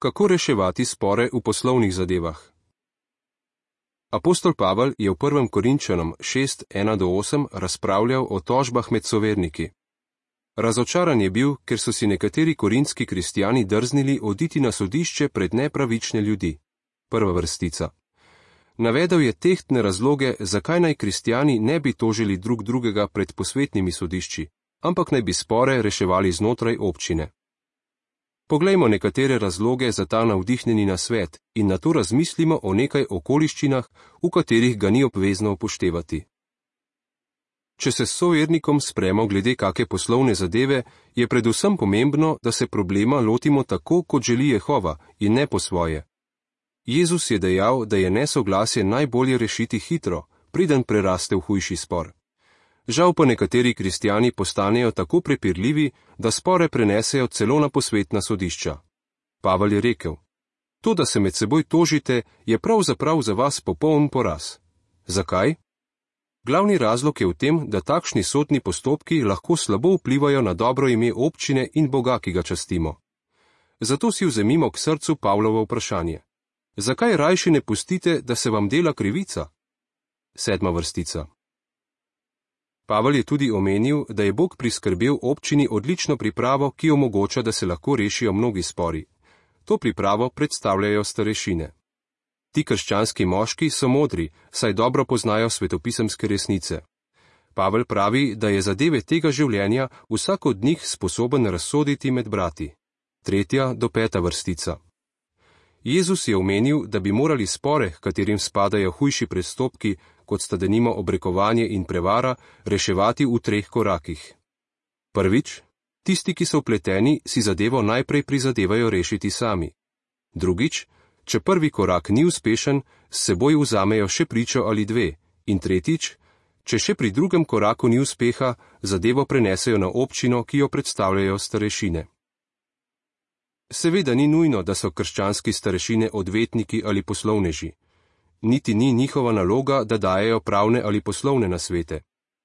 Kako reševati spore v poslovnih zadevah? Apostol Pavel je v 1. Korinčanom 6:1-8 razpravljal o tožbah med soverniki. Razočaran je bil, ker so si nekateri korinski kristjani drznili oditi na sodišče pred nepravične ljudi. Prva vrstica. Navedel je tehtne razloge, zakaj naj kristjani ne bi tožili drug drugega pred posvetnimi sodišči, ampak naj bi spore reševali znotraj občine. Poglejmo nekatere razloge za ta navdihnjeni nasvet in nato razmislimo o nekaj okoliščinah, v katerih ga ni obvezno upoštevati. Če se s sovernikom spremo glede kake poslovne zadeve, je predvsem pomembno, da se problema lotimo tako, kot želi Jehova, in ne po svoje. Jezus je dejal, da je nesoglasje najbolje rešiti hitro, preden preraste v hujši spor. Žal pa nekateri kristjani postanejo tako prepirljivi, da spore prenesejo celo na posvetna sodišča. Pavel je rekel: To, da se med seboj tožite, je pravzaprav za vas popoln poraz. Zakaj? Glavni razlog je v tem, da takšni sodni postopki lahko slabo vplivajo na dobro ime občine in Boga, ki ga častimo. Zato si vzemimo k srcu Pavlovo vprašanje. Zakaj rajši ne pustite, da se vam dela krivica? 7. vrstica. Pavel je tudi omenil, da je Bog priskrbel občini odlično pripravo, ki omogoča, da se lahko rešijo mnogi spori. To pripravo predstavljajo starešine. Ti krščanski moški so modri, saj dobro poznajo svetopisemske resnice. Pavel pravi, da je zadeve tega življenja vsak od njih sposoben razsoditi med brati. 3. do 5. vrstica. Jezus je omenil, da bi morali spore, katerim spadajo hujši prestopki, kot sta denimo obrekovanje in prevara, reševati v 3 korakih. Prvič, tisti, ki so vpleteni, si zadevo najprej prizadevajo rešiti sami. Drugič, če prvi korak ni uspešen, s seboj vzamejo še pričo ali 2. In tretjič, če še pri drugem koraku ni uspeha, zadevo prenesejo na občino, ki jo predstavljajo starešine. Seveda ni nujno, da so krščanski starešine odvetniki ali poslovneži. Niti ni njihova naloga, da dajejo pravne ali poslovne nasvete.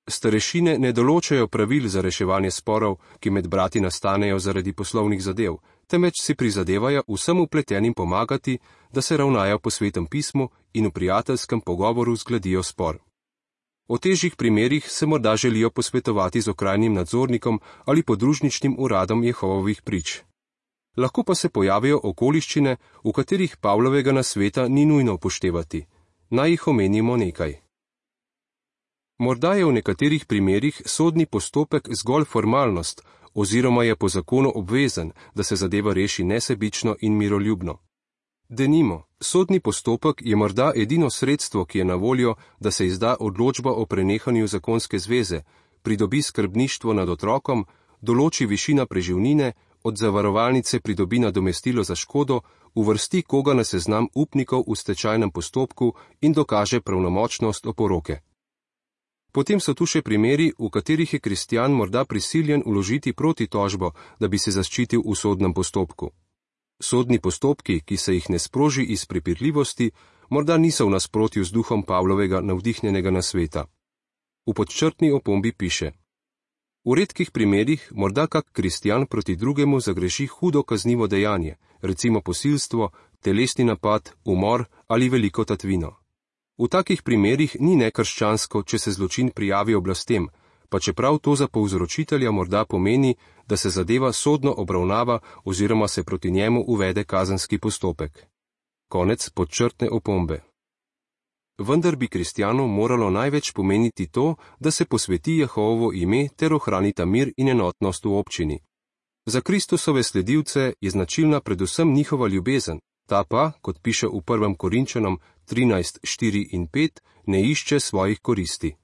Starešine ne določajo pravil za reševanje sporov, ki med brati nastanejo zaradi poslovnih zadev, temveč si prizadevajo vsem vpletenim pomagati, da se ravnajo po Svetem pismu in v prijateljskem pogovoru zgladijo spor. O težjih primerih se morda želijo posvetovati z okrajnim nadzornikom ali podružničnim uradom Jehovovih prič. Lahko pa se pojavijo okoliščine, v katerih Pavlovega nasveta ni nujno upoštevati. Naj jih omenimo nekaj. Morda je v nekaterih primerih sodni postopek zgolj formalnost, oziroma je po zakonu obvezen, da se zadeva reši nesebično in miroljubno. Denimo, sodni postopek je morda edino sredstvo, ki je na voljo, da se izda odločba o prenehanju zakonske zveze, pridobi skrbništvo nad otrokom, določi višina preživnine, od zavarovalnice pridobi nadomestilo za škodo, uvrsti koga na seznam upnikov v stečajnem postopku in dokaže pravnomočnost oporoke. Potem so tu še primeri, v katerih je kristjan morda prisiljen vložiti protitožbo, da bi se zaščitil v sodnem postopku. Sodni postopki, ki se jih ne sproži iz prepirljivosti, morda niso v nasprotju z duhom Pavlovega navdihnjenega nasveta. V podčrtni opombi piše: V redkih primerih morda kak kristjan proti drugemu zagreši hudo kaznivo dejanje, recimo posilstvo, telesni napad, umor ali veliko tatvino. V takih primerih ni nekrščansko, če se zločin prijavi oblastem, pa čeprav to za povzročitelja morda pomeni, da se zadeva sodno obravnava oziroma se proti njemu uvede kazenski postopek. Konec podčrtne opombe. Vendar bi kristjanu moralo največ pomeniti to, da se posveti Jehovovo ime ter ohranita mir in enotnost v občini. Za Kristusove sledilce je značilna predvsem njihova ljubezen, ta pa, kot piše v 1. Korinčanom 13:4 in 5, ne išče svojih koristi.